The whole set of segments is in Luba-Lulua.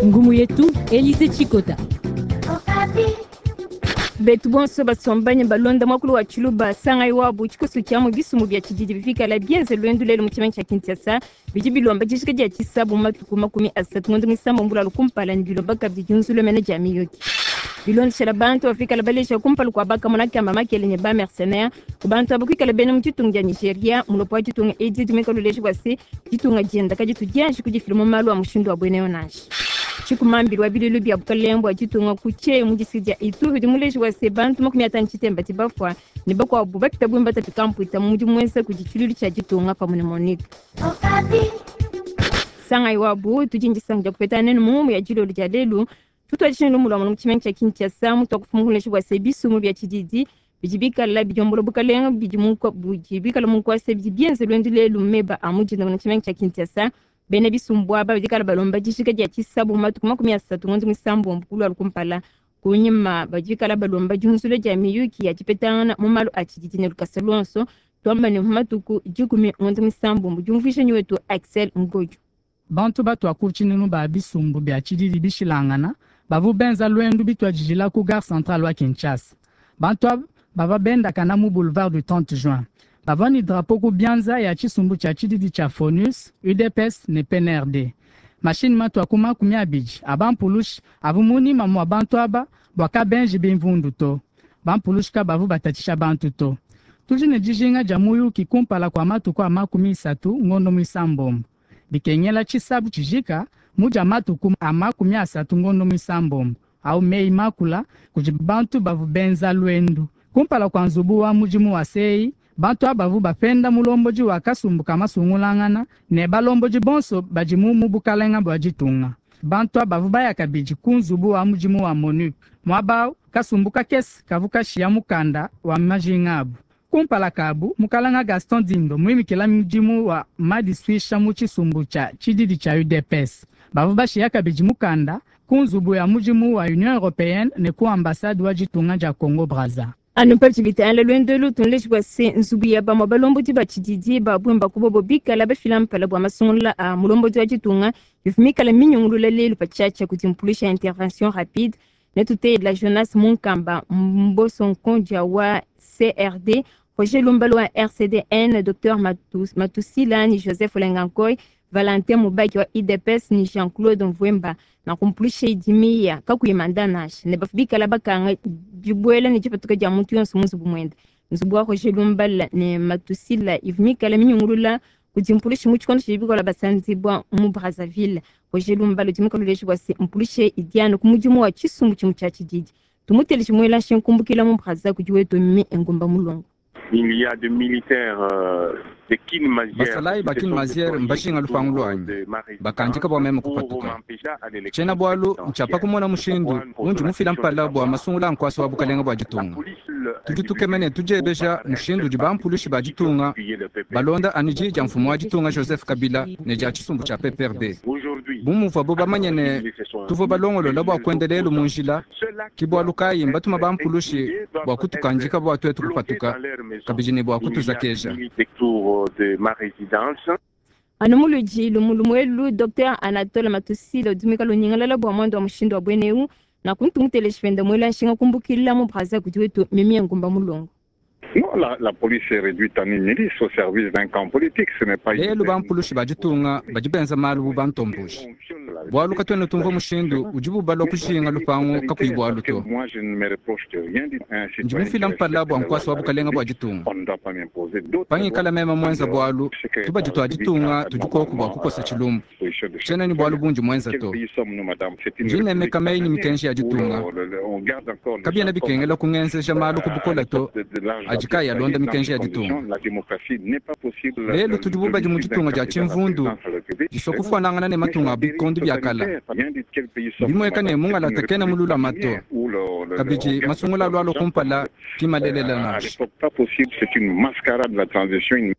Ngumu yetu Elise Chikota. Betu bonso basombanye balonda mwakulu wa Tshiluba sangayi wabu tshikoso tshia mu bisumbu bia tshididi bifikala bienze luendu lelu mu tshimenga tshia Kinshasa bidi bilomba dijika dia tshisabu matuku 30 ngondo muisambombo mbulalu kumpala ne bilomba kabidi diunzulumene dia miyuki bilondeshela bantu bafikala balesha kumpala kua bakamona kamba makele ne ba mercenaire ku bantu abo kuikala bena mu ditunga dia Nigeria. Mulopo wa ditunga edi dimeka luleja bua se ditunga dienda kaditu dianji kudifila mu malu a mushindu wa buena yo nansha. Tshikumambili wa bilulu bia bukalenge bua ditunga ku Tshie mu district dia Ituri udi muleji wa se bantu 53 badi bafua ne bakuabu bapita bungi batapika mpuita mu mudimu muenza kudi tshiluilu tshia ditunga pamue ne MONUC. Sangayi wabu tudi ndisanka dia kupeta nenu mu ngumu ya dilolo dia lelu. Tutuadije ne lumu lua mu tshimenga tshia Kinshasa mutuakufuma kuleja bua se bisumbu bia tshididi bidi bikala bidiombola bukalenge bidi mu budi bikala mu nkuasa bidi bienze luendu lelu meba a mu dinda mu tshimenga tshia Kinshasa. Bena bisumbu aba badi kala balomba dijika dia tshisabu matuku 30 ngondo muisambombo kulualu kumpala. Kunyima badi kala balomba diunzula dia miyuki ya dipetangana mu malu a tshididi ne lukasa luonso, tuamba ne mu matuku 10 ngondo muisambombo. Diumvuija nyi wetu Axel Ngodio. Bantu batua ku tshinunu ba bisumbu bia tshididi bishilangana bavu benza luendu bituadijila ku gare centrale wa Kinshasa. Bantu aba bavua bendakana mu boulevard du 30 juin. Bavua ne drapeau ku bianza ya tshisumbu tshia tshididi tshia FONUS, UDPS ne PNRD. Mashini matua ku 20 a bampulushi avu munyima mua bantu aba bua kabenji bimvundu to. Bampulushi kabavu batatshisha bantu to. Tudi ne dijinga dia muyuki kumpala kua matuku a 30 ngondo muisambombo. Bikengela tshisabu tshijika mu dia matuku a 30 ngondo muisambombo au meyi makula kudi bantu bavu benza luendu kumpala kua nzubu wa mudimu wa CEI. Bantu abavu bapenda mulombodi wa kasumbu ka masungulangana ne balombodi bonso badi mu bukalenga bua ditunga. Bantu abavu baya kabidi ku nzubu wa mudimu wa MONUC muaba kasumbu kakese kavu kashiya mukanda wa majinga abu. Kumpala kabu mukalanga Gaston Dindo muimikila mudimu wa madisuisha mu tshisumbu tshia tshididi tshia UDPS. Bavu bashiya kabidi mukanda ku nzubu ya mudimu wa Union Européenne ne ku ambassade wa ditunga dia Congo Brazza. Anu pa tshibitala luendu elu tunleji bua se nzubu ya bamue balombodi ba tshididi ba bwemba kubobo bikala bafila mpala bua masungula a mulombodi wa ditunga ivua mikala minyungulula lelu pa tshiatshia kudi mpulusha intervention rapide. Netuteyela Jonas Munkamba Mboso Nkondia wa CRD, Roger Lumbalo wa RCDN, Dr Matusila ni Joseph Olengankoy, Valentin Mubaki wa UDPS ni Jean-Claude Mvwemba na kumpulusha idimiya kakuyi nasha ne bafu bikala bakanga dibuela ne dipatuka dia muntu yonso mu nzubu muende. Nzubu wa Roger Lumbala ne Matusila ivua mikala minyungulula kudi mpulusha mu tshikondo tshidi bikola basanzibwa mu Brazzaville. Roger Lumbala udi mukaluleji bua se mpulusha idiana ku mudimu wa tshisumbu tshimue tshia tshididi. Tumuteleje muela nshinkumbukila mu Brazza kudi wetu mi Ngumba Mulongo. Il y a des militaires de Kin-Mazière. Basalayi ba Kin-Mazière mbashinga lupangu lwanyi bakandika bua meme kupatuka. Tshiena bualu ntshiapa kumona mushindu undi mufila mpala bua masungula a nkuasa wa bukalenga bua ditunga. Tudi tukemene tudiebeja mushindu udi bampulushi ba ditunga balonda anu di dia mfumu wa ditunga Joseph Kabila ne dia tshisumbu tshia PPRD. Bu muvuabu bamanye ne tuvua balongolola bua kuenda lelu mu njila, ke bualu kayi mbatuma bampulushi bua kutukandika bua tuetu kupatuka kabidi ne bua kutuzakeja. Anu muludi lumulumu Dr Anatole Matusila udi muikale unyingalala bua mwanda wa mushindu wa buena eu na kuntumuteleji penda muela nshinga kumbukila mu Brazza kudi wetu Mimi Ngumba Mulongo. Non, la police est réduite en une milice au service d'un camp politique. Ce n'est pas lelu bampulushi ba ditunga badi benza malu bu bantomboji. Bualu katuena tumvua mushindu udibu balua kushinga lupangu kakuyi bualu to. Moi, je ne me reproche de rien du un Ndi mufila mpala bua nkuasa wa bukalenga bua ditunga. On ne doit pas m'imposer d'autres. Pangikala meme mwenza bualu tubadi tua ditunga tudi koku bua kukosa tshilumbu. Tshiena ni bualu bundi mwenza Quel to. pays sommes-nous, madame? C'est une Ndi nemeka meyi ni mikenji ya ditunga. où on garde encore les Kabiena bikengela kungenzeja malu ku bukola to adi kayi alonda mikenji ya ditunga. La démocratie n'est pas possible. Lelu tudi bubadi mu ditunga dia tshimvundu disua kufuanangana ne matunga a bikondo bia kala. Bimueka ne mungalata kena mululama to. Kabidi masungula alu alua kumpala ki malelela À nansha. l'époque, pas possible. C'est une mascarade de la transition. Une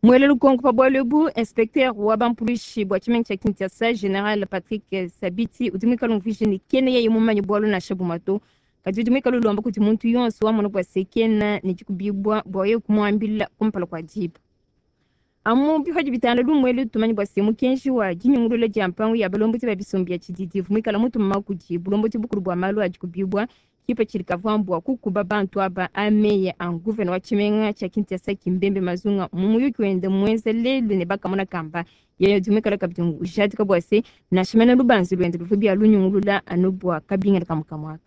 Mwele lukonko pa bualu ebu inspecteur wa bampulushi bua tshimenga tshia Kinshasa General Patrick Sabiti udi muikale umvuija ne kena yeye mumanye bualu nansha bumue to. Kadi udi muikale ulomba kudi muntu yonso wamona bua se kena ne dikubibua bua yeye kumuambila kumpala kua diba. Amu bihodi bitanda lumwelu tumanyi bwa se mukenji wa dinyungulula dia mpangu ya balombodi ba bisumbu bia tshididi muikala mutuma kudi bulombodi bukulu bua malu adi kubibwa kipa tshili kavua kukuba bantu aba ameye a guvena wa tshimenga tshia Kinshasa Kimbembe Mazunga mu muyuki wende muenza lelu ne bakamona kamba yeye udi muikala kabidi ujadika bua se nansha mena lubanza luende luvua bia lunyungulula anu bua kabingila kamukamwaka.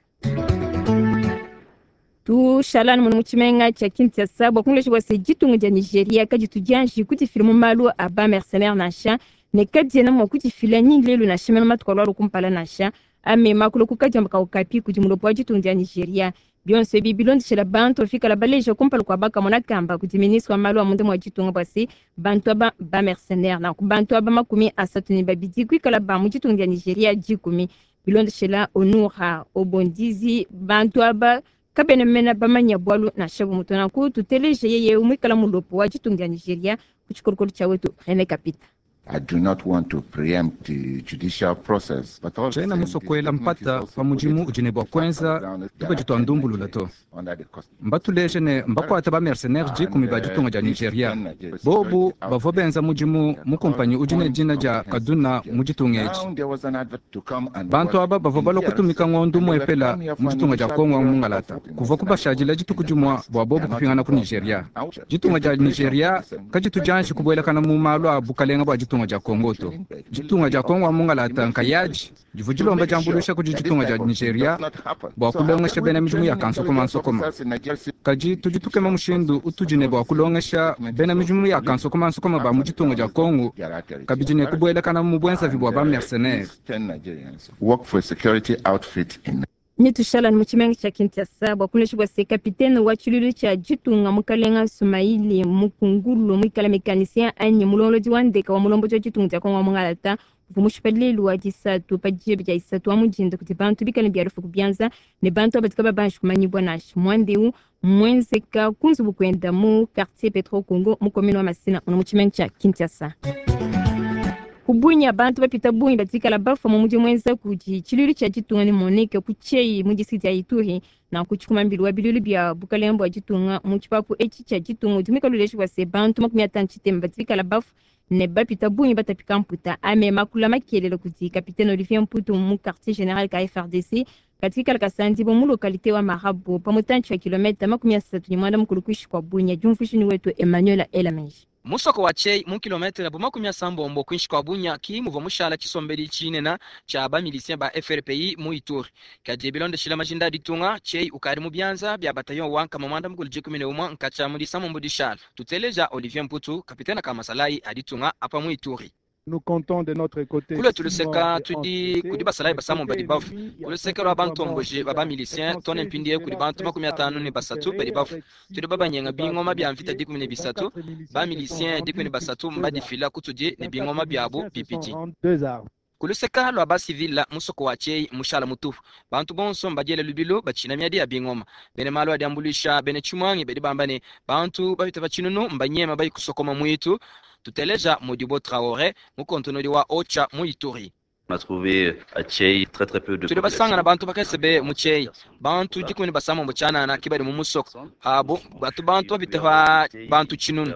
Tushalani muno mu tshimenga tshia Kinshasa bua kungulesha bua se ditunga dia Nigeria kaditu dianji kudifila mu malu a ba mercenaire nansha ne kadiena mua kudifila ni lelu nansha mena matuku alualu kumpala nansha amema kuloku kadiamba kaukapi kudi mulopo wa ditunga dia Nigeria. Bionso ebi bilondeshela bantu bafikala baleja kumpala kua bakamona kamba kudi ministre wa malu a munda mua ditunga bua se bantu aba ba mercenaire nanku bantu aba 32 kuikala ba mu ditunga dia Nigeria 10 bilondeshela Onura Obondizi bantu aba kabena mena bamanya bwalu nansha bumutu nanku tuteleje yeye muikala mulopo wa ditunga dia Nigeria ku tshikolokolo tshia wetu René Kapita. I do not want to preempt the judicial process, but all the Tshiena same, musokwela this statement is mpata also pa mudimu political. udi ne bua kuenza tuba ditua ndumbulula to. Under the custody. Mbatuleje ne mbakuata ba mercenaire 10 ba ditunga dia Nigeria. Bobu bavua benza mudimu mu kompanyi udi ne dina dia Kaduna mu ditunga edi. Now there was an advert to come and Bantu work aba bavua in balua DRC. kutumika ng'ondu And they were muepela come here mu for an ditunga dia initial Kongo period mu Ngalata. of 14 Kuvua kubashadila dituku dimua bua bobu kupingana ku Nigeria. Ditunga dia Nigeria kaditu dianji kubuelakana mu malu a bukalenga bua ditunga dia Kongo to. Ditunga dia Kongo mu Ngalata nkayaji divua dilomba diambuluisha kudi ditunga dia Nigeria bua kulongesha bena midimu ya kansokomansokoma. Kadi tudi tukema mushindu utudi ne bua kulongesha bena midimu ya kansokomansokoma ba mu ditunga dia Kongo kabidi ne kubuelakana mu buenzavi bua ba mercenaire. These 10 Nigerians work for a security outfit in Ni tushalani mu tshimenga tshia Kinshasa bua kulesha bua se kapitene wa tshilulu tshia ditunga mukalenga Sumaili Mukungulu muikala mekanisien anyi mulongolodi wa ndeka wa mulombodi wa ditunga dia Kongo wa Mungalata uvua mushipa lelu wa disatu pa diebe dia isatu wa mudinda kudi bantu bikale bia lufu kubianza ne bantu aba babanji kumanyibwa nansha mwandeu mwenzeka kunzubu kwenda mu quartier Petro Congo mu commune wa Masina muno mu tshimenga tshia Kinshasa. Kubunya bantu bapita bungi batikala bafa mu mudi mwenza kudi tshilulu tshia ditunga ne Monique ku Tshei mu district ya Ituri na ku tshikumambili wa bilulu bia bukalenga bua ditunga mu tshipapu etshi tshia ditunga udi muikale uleja bua se bantu 53 batikala bafa ne bapita bungi batapika mputa ame makula makelela kudi capitaine Olivier Mputu mu quartier général ka FRDC katikala kasandi bo mu localité wa Marabo pa mutantshi wa kilomita 39 kuishi kwa Bunya. Diumvuishini wetu Emmanuel Elamenji. Musoko wa Chei mu kilometre bu 80 kwinshi kwa Bunya ki muvua mushala tshisombeli tshinena tshia ba milicien ba FRPI mu Ituri. Kadi bilondeshila majinda a ditunga Chei ukadi mu bianza bia bataillon wa nkama mwanda mukulu 11 nkatshia mu disamombo dishala. Tuteleja Olivier Mputu kapitena ka masalayi a ditunga apa mu Ituri. Nous comptons de notre côté Kule tuluseka tudi kudi basalayi basamomba badi bafu kuluseka lwa bantomboji ba bamilicien tone mpindie kudi bantu 53 badi bafu tudi babanyenga bingoma bia mvita 13 bamilicien 13 mbadifila kutudi ne bingoma biabu bibidi. Deux armes. Kuluseka lwa basivila musoko wa Chei mushala mutupu bantu bonso mbadiele lubilu batshina miadi ya bingoma bene malu adi ambuluisha bene tshimwangi bedi bamba ne bantu bapita batshinunu mbanyema bayi kusokoma mwitu. Tuteleja Modibo Traoré mukontonodi wa Ocha mu Ituri. On a trouvé à Tchei très très peu de Tudi basangana bantu bakese mu Tchei bantu 17 tshianana ki badi mu musoko abo batu bantu bapita pa bantu tshinunu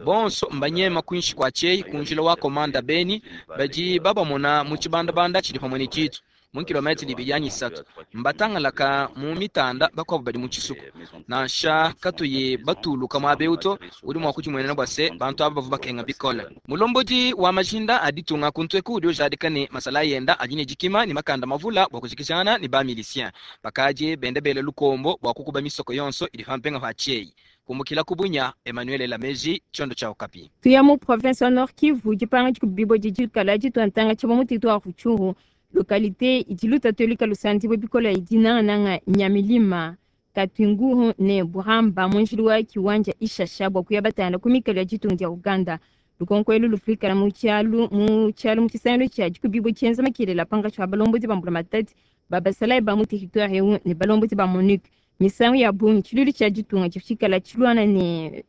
bonso mbanyema kuinshi kwa Tchei kunjila wa komanda Beni badi babamona mu tshibandabanda tshidi pamwe ne tshitu mu kilometri ibidi anyi isatu mbatangalaka mu mitanda bakuabu badi mu tshisuku nansha katuye batuluka muaba eu to udi mua kudimuenena bua se bantu aba bavua bakenga bikole. Mulombodi wa majinda a ditunga kuntu eku udi ujadika ne masala yenda adi ne dikima ne makanda mavula bua kujikijana ne ba milicien bakaji bende bele lukombo bua kukuba misoko yonso idi pampenga pa Tchei. Kumbukila ku Bunya, Emmanuel Lameji, tshiondo tshia Okapi. Tuya mu province wa Nord Kivu dipanga dikubibo didikala dituantanga tshia mu territoire Rutshuru localité idi lutatolika lusandibo bikola idi nangananga Nyamilima Katwinguhu ne Buramba mu njili wa kiwanja Ishasha bua kuya batanda ku mikalo ya ditunga dia Uganda. Lukonko elu lufikala mu tshialu mu tshialu mu tshisangilu tshia dikubibo tshienza makelela pangatshi wa balombodi ba mbula matadi babasalayi ba mu territoire eu ne balombodi ba MONUC. Misangu ya bungi tshilulu tshia ditunga tshifikala tshiluana ne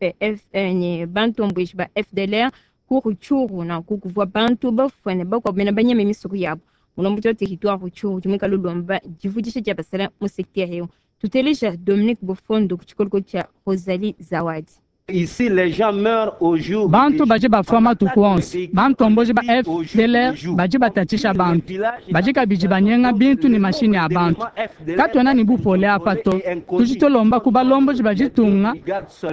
ne bantomboji ba FDLR ku Rutshuru nanku kuvua bantu bafua ne bakuabu bena banyeme misoko yabo. Mulombodi wa territoire Rutshuru udi muikale ulomba divudisha dia basala mu secteur eu. Tuteleja Dominique Bofondo ku tshikoloko tshia Rosalie Zawadi. Bantu badi bafua matuku onso. Bantomboji ba FDLR badi batatshisha bantu. Badi kabidi banyenga bintu ne mashinyi a bantu. Katuena ne bupole apa to. Tudi tulomba ku balombodi ba ditunga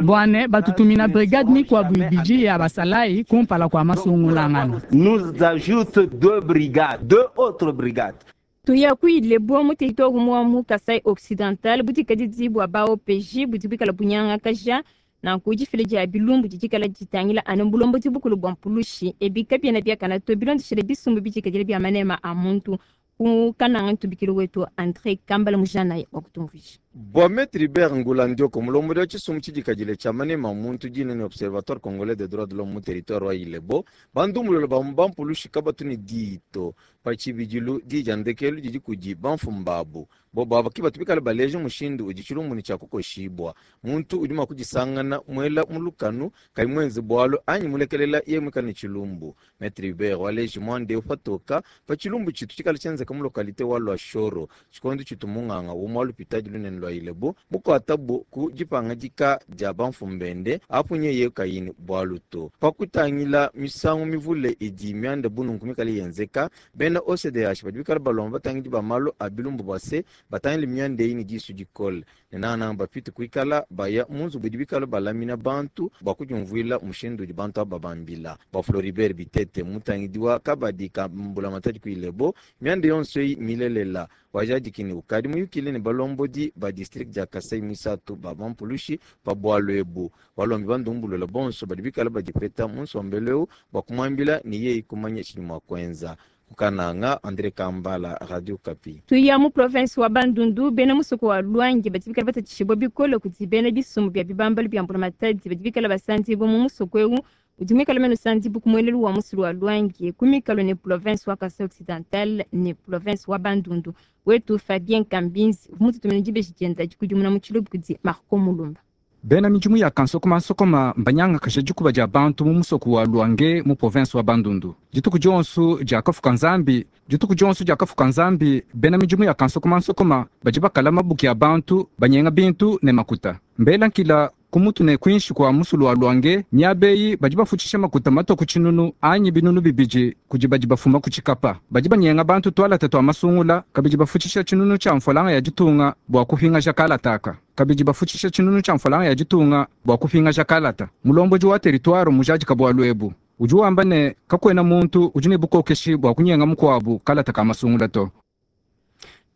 bua ne batutumina brigade mikuabu ibidi ya basalayi kumpala kua masungulangana. Nous ajoute deux brigades, deux autres brigades. Tuya ku Ilebo mu territoire umue mu Kasai Occidental budikadidi bua ba OPJ budi buikala bunyangakaja nanku difila dia bilumbu didi ditangila anu bulombodi bukulu bua mpulushi ebi kabiena biakana to bilondeshile bisumbu bidikadile bia manema a muntu ku kananga ntubikilo wetu Andre Kambala mujana wa kutumvuija. Bua Maître Hubert Ngula Ndioko, mulombodi wa tshisumbu tshidikadile tshia manema a muntu dina ne Observatoire Congolais des droits de l'homme mu territoire wa Ilebo, bandumbulula ba mu bampulushi kabatu ne diyi to. Pa tshibidilu, diyi dia ndekelu didi kudi bamfumu babu. Bobu aba ke batu bikale baleja mushindu udi tshilumbu ne tshia kukoshibua. Muntu udi mua kudisangana muela mu lukanu kayi muenze bualu anyi mulekelela yeye muikale ne tshilumbu. Maitre Hubert waleji muanda eu patoka pa tshilumbu tshitu tshikale tshienzeka mu localite wa Luashoro tshikondo tshitu munganga umue wa lupitadi lunene lua Ilebo mukuatabu ku dipangadika dia bamfumu bende apu nyeye kayi ne bualu to. Pa kutangila misangu mivule idi mianda bu nunku mikale yenzeka, bena OCDH badi bikale balomba batangidi ba malu a bilumbu bua se, batangile mianda eyi ne disu dikole ne nangananga bapite kuikala baya mu nzubu idi bikale balamina bantu bua kudiumvuila mushindu udi bantu aba babambila. Bua Floribert Bitete, mutangidi wa kabadi ka mbulamatadi ku Ilebo, mianda yonso eyi mmilelela. Wajadiki ne, ukadi muyukile ne balombodi ba distrike dia Kasai muisatu ba bampulushi pa bualu ebu. Walombi bandumbulula bonso badi bikale badipeta mu nsombelu eu bua kumuambila ne yeye kumanya tshidi mua kuenza. Ku Kananga, Andre Kambala, Radio Okapi. Tuya mu province wa Bandundu, bena musoko wa Luangi badi bikale batatshishibua bikole kudi bena bisumbu bia bibambalu bia mbulamatadi badi bikale basandibua mu musoko eu udi muikale mene usandibua ku muelelu wa musulu wa Luangi ku mikalu ne province wa Kasai Occidental ne province wa Bandundu. Wetu Fabien Kambinzi uvua mututumine dibeji dienda dikudimuna mu tshiluba kudi Marco Mulumba. Bena midimu ya kansokomansokoma mbanyangakaja dikuba dia bantu mu musoko wa Luange mu province wa Bandundu. Dituku dionso diakafuka Nzambi, dituku dionso diakafuka Nzambi, bena midimu ya kansokomansokoma badi bakala mabuki a bantu, banyenga bintu ne makuta. Mbela nkila ku mutu ne kuinshi kua musulu wa Luange, miaba eyi badi bafutshisha makuta matua ku tshinunu anyi binunu bibidi kudi badi bafuma ku tshikapa. Badi banyenga bantu tualata tua masungula, kabidi bafutshisha tshinunu tshia mfualanga ya ditunga bua kupingaja kalata aka. Kabidi bafutshisha tshinunu tshia mfualanga ya ditunga bua kupingaja kalata. Mulombodi wa teritware mmujadika bualu ebu. Udi wamba ne, kakuena muntu udi ne bukokeshi bua kunyenga mukuabu kalata ka masungula to.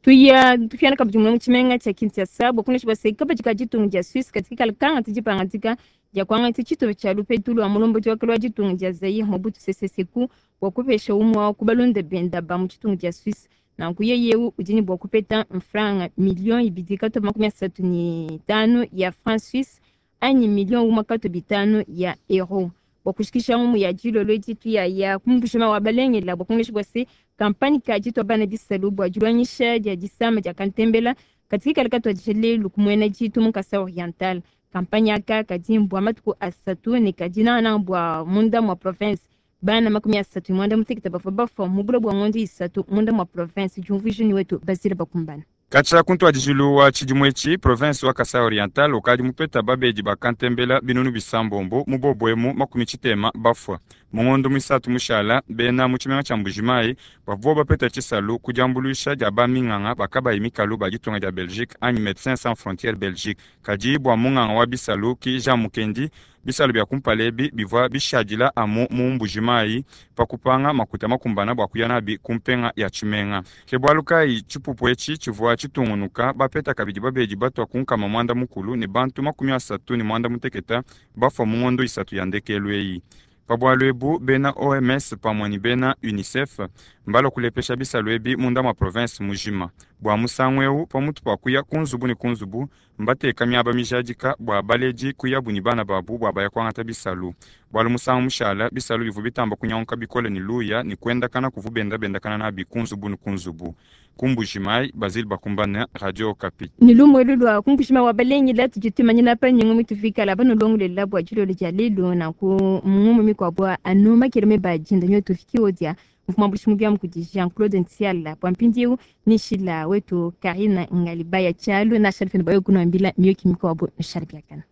Tuya tupiana kabidi muna mu tshimenga tshia Kinshasa bua kunesha bua se kabadi ka ditunga dia Suisse kadi kikala kangata dipangadika dia kuangata tshitupa tshia lupetu lua mulombodi wa kale wa ditunga dia Zaire Mobutu Sese Seko bua kupesha umue wa ku balunda benda ba mu ditunga dia Suisse. Nanku yeye eu udi ne bua kupeta mfranga miliyo ibidi katoba makumi asatu ne itanu ya franc suisse anyi miliyo umue katoba itanu ya euro. Bua kushikisha ngumu ya dilolo edi tuyaya ku mbushima wa balengela bua kungesha bua se kampanye ka ditua bana bisalu bua diluanyisha dia disama dia kantembela kadi kikala katuadija lelu ku muena ditu mu Kasai Oriental. Kampanye aka kadi mbua matuku asatu ne kadi nangananga bua munda mua province. Bana 38 bavua bafua mu bula bua ngondo isatu munda mua province. Diumvuija ne wetu Basile Bakumbana. Katshia ku ntuadijilu wa tshidimu etshi, province wa Kasai Oriental ukadi mupeta babedi ba kantembela binunu bisambombo, mu bobo emu 60 bafua. Mu ngondo muisatu mushala, bena mu tshimenga tshia Mbuji-Mayi bavua bapeta tshisalu ku diambuluisha dia ba minganga ba kabayi mikalu ba ditunga dia Belgique anyi Medecins Sans Frontieres Belgique. Kadi bua munganga wa bisalu ki Jean Mukendi, bisalu bia kumpala ebi bivua bishadila amu mu Mbuji-Mayi pa kupanga makuta makumbana bua kuya nabi ku mpenga ya tshimenga. Ke bualu kayi tshipupu etshi tshivua tshitungunuka, bapeta kabidi babedi batua ku 900 ne bantu 38 bafua mu ngondo isatu ya ndekelu eyi. Pa bualu ebu, bena OMS pamue ne bena UNICEF mbalua kulepesha bisalu ebi munda mua provense mujima. Bua musangu eu, pamutu pa kuya ku nzubu ne ku nzubu, mbateka miaba mijadika bua baledi kuyabu ne bana babu bua baya kuangata bisalu. Bualu musangu mushala, bisalu bivua bitamba kunyanguka bikole ne luya ne kuendakana kuvua benda bendakana nabi ku nzubu ne ku nzubu. Ku Mbuji-Mayi, Basile Bakumbane, Radio Okapi. Ne lumu elu lua ku Mbuji-Mayi wa balengela tudi tumanyina pa nyungu mitufikala banulongolela bua dilolo dia lelu. Nanku mu ngumu mikuabu anu makele meba dinda nyo tufiki odia mfumu wa bushimu bia kudi Jean-Claude Ntsiala bua mpindieu ni shila wetu Karina Ngalibaya Tshialu na Shalfene bayo kunuambila miyuki mikuabu nshali biakana.